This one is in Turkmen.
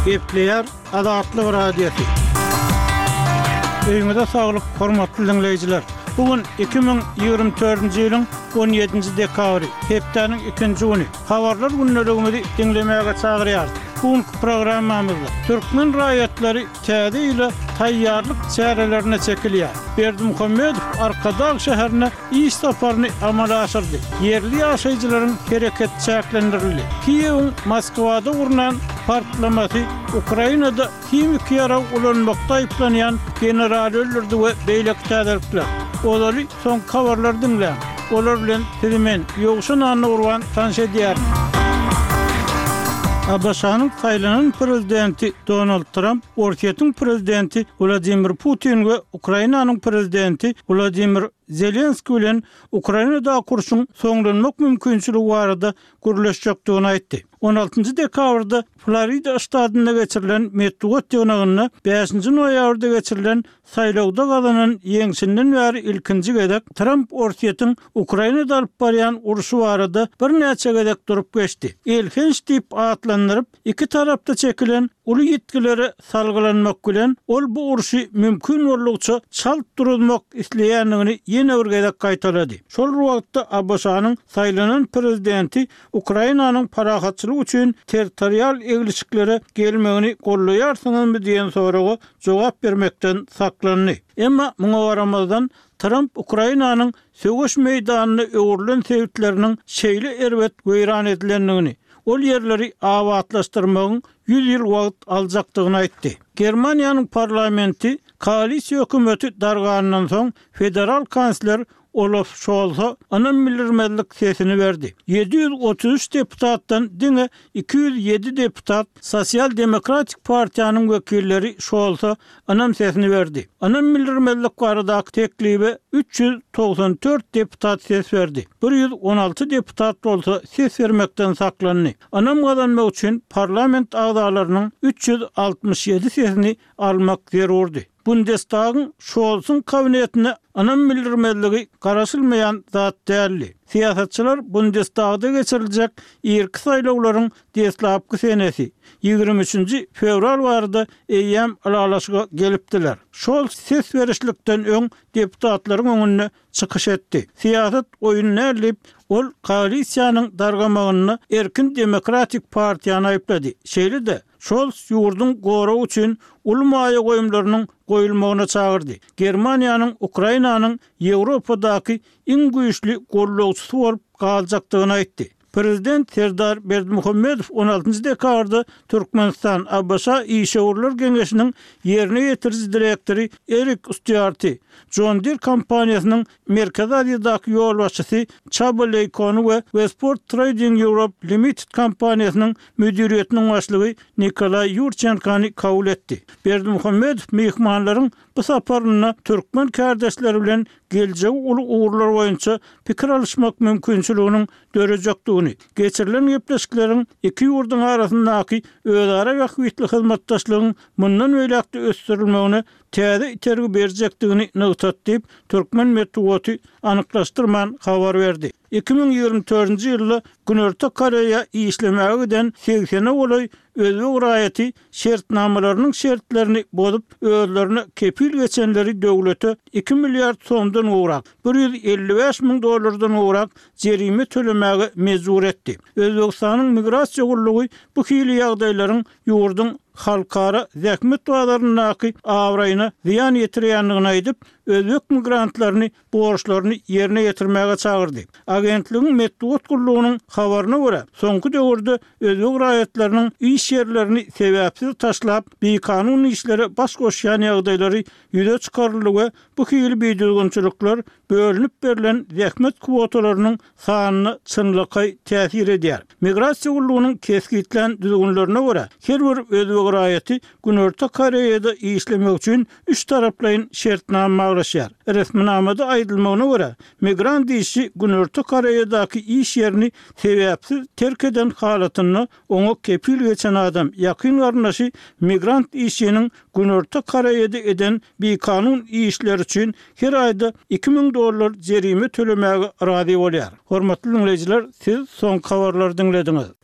Gepleýär Azatlyk Radiosy. Öýüňize saglyk, hormatly diňleýjiler! Bu gün 2024-nji ýylyň 17-nji dekabry, hepdäniň ikinji güni. Habarlar gündeligimizi diňlemäge çagyrýarys. Bu günki programmamyzda türkmen raýatlary täze ýyla taýýarlyk çärelerine çekilýär. Berdimuhamedow Arkadag şäherine iş saparyny amala aşyrdy. Ýerli ýaşaýjylaryň hereketi çäklendirildi. Kiýewiň Moskwada gurnan partlamasy Ukrainada himiki ýarag ulanmakda aýyplanýan generaly öldürdi we beýleki täzelikler. Ozaly soňky habarlary diňläň. Olar bilen sizi men, Ýowşan Annagurban tanyş edýärin. ABŞ-nyň saýlanan prezidenti Donald Tramp Orsýetiň prezidenti Wladimir Putin we Ukrainanyň prezidenti Wladimir Zelenskiý bilen Ukrainadaky urşuň soňlanmak mümkinçiligi barada gürleşjekdigini aýtdy. On altynjy dekabrda Florida ştatynda geçirilen metbugat ýygnagynda bäşinji noýabrda geçirilen saýlawda gazanan ýeňşinden bäri ilkinji gezek Tramp Orsýetiň Ukrainada alyp barýan urşy barada birnäçe gezek durup geçdi. Elhenç diýip atlandyryp, Iki tarapda çekilen uly ýitgilere salgylanmak bilen, ol bu urşy mümkin boldugyça çalt duruzmak isleýändigini ýene bir gezek gaýtalady. Şol bir wagtda ABŞ-nyň saýlanan prezidenti Ukrainanyň parahatçylyk üçin territorial eglişiklere gelmegini goldaýarsyňyzmy diýen soraga jogap bermekden saklandy. Emma muňa garamazdan, Tramp Ukrainanyň söweş meýdanyna öwrülen sebitleriniň şeýle erbet weýran edilendigini, ol ýerleri abatlaşdyrmagyň 100 ýyl wagt aljakdygyny aýtdy. Germaniýanyň parlamenti koalisiýa hökümeti darganyndan soň federal kansler Olaf Şolsa ynam bildirmezlik sesini berdi. 733 deputatdan diňe 207 deputat Sosial-demokratik partiýanyň wekilleri Şolsa ynam sesini berdi. Ynam bildirmezlik baradaky teklibe 394 deputat ses berdi, 116 deputat bolsa ses bermekden saklandy. Ynam gazanmak üçin parlament agzalarynyň 367 sesini almak zerurdy. Bundestagyň Şolsuň kabinetine ynam bildirmezligi garaşylmaýan zat däldi. Syýasatçylar Bundestagda geçiriljek irki saýlawlaryň deslapky senesi, 23-nji fewral barada eýýäm ylalaşyga gelipdiler. Şolz ses berişlikden öň deputatlaryň öňünde çykyş etdi. Syýasat oýun däl diýip, ol koalisiýanyň dargamagynda Erkin demokratik partiýany aýyplady. Şeýle-de, Şolz ýurduň goragy üçin uly maýa goýumlarynyň goýulmagyna çagyrdy. Germaniýanyň Ukrainanyň Ýewropadaky iň güýçli gollagçysy bolup galjakdygyny aýtdy. Prezident Serdar Berdimuhamedow on altynjy dekabrda Türkmenistan, ABŞ Işewürler geňeşiniň ýerine ýetiriji direktory Erik Stýuarty, John Deere kompaniýasynyň Merkezi Aziýadaky ýolbaşçysy Çaba Leýkony we Westport Trading Europe Limited kompaniýasynyň müdiriýetiniň başlygy Nikolaý Ýurçenkony kabul etdi. Berdimuhamedow myhmanlaryň bu saparynda türkmen kärdeşleri bilen geljegi uly ugurlar boýunça pikir alyşmak mümkinçiliginiň dörejekdigini, geçirilen gepleşikleriň iki ýurduň arasyndaky özara bähbitli hyzmatdaşlygyň mundan beýläk-de ösdürilmegine täze itergi berjekdigini nygtady diýip, türkmen metbugaty anyklaşdyrman habar berdi. 2024-nji ýylda Günorta Koreýa işlemäge giden segsene golaý özbek raýaty şertnamalarynyň şertlerini bozup, özlerine kepil geçenleri döwlete iki milliard somdan gowrak, 155 müň dollardan gowrak jerime tölemäge mejbur etdi. Özbegistanyň Migrasiýa gullugy bu hili ýagdaýlaryň ýurduň halkara zähmet bazaryndaky abraýyna zyýan ýetirýändigini aýdyp, özbek migrantlaryny borçlaryny ýerine ýetirmäge çagyrdy. Agentligiň metbugat gullugynyň habaryna görä, soňky döwürde özbek raýatlarynyň iş ýerlerini sebäpsiz taşlap, bikanun işlere baş goşýan ýagdaýlary ýüze çykaryldy we bu hili bidüzgünçilikler bölünip berlen zähmet kwotalarynyň sanyna çynlakaý täsir edýär. Migrasiýa gullugynyň kesgitlän düzgünlerine görä, her bir özbek raýaty Günorta Koreýada işlemek üçin üç taraplaýyn şertnama baglaşýar. Resminamada aýdylmagyna görä, migrant işçi Günorta Koreýadaky iş ýerini sebäpsiz terk eden halatynda oňa kepil geçen adam, ýakyn garyndaşy migrant işçiniň Günorta Koreýada eden bikanun işleri üçin her aýda 2000 dollar jerime tölemäge razy bolýar. Hormatly diňleýjiler, siz soňky habarlary diňlediňiz.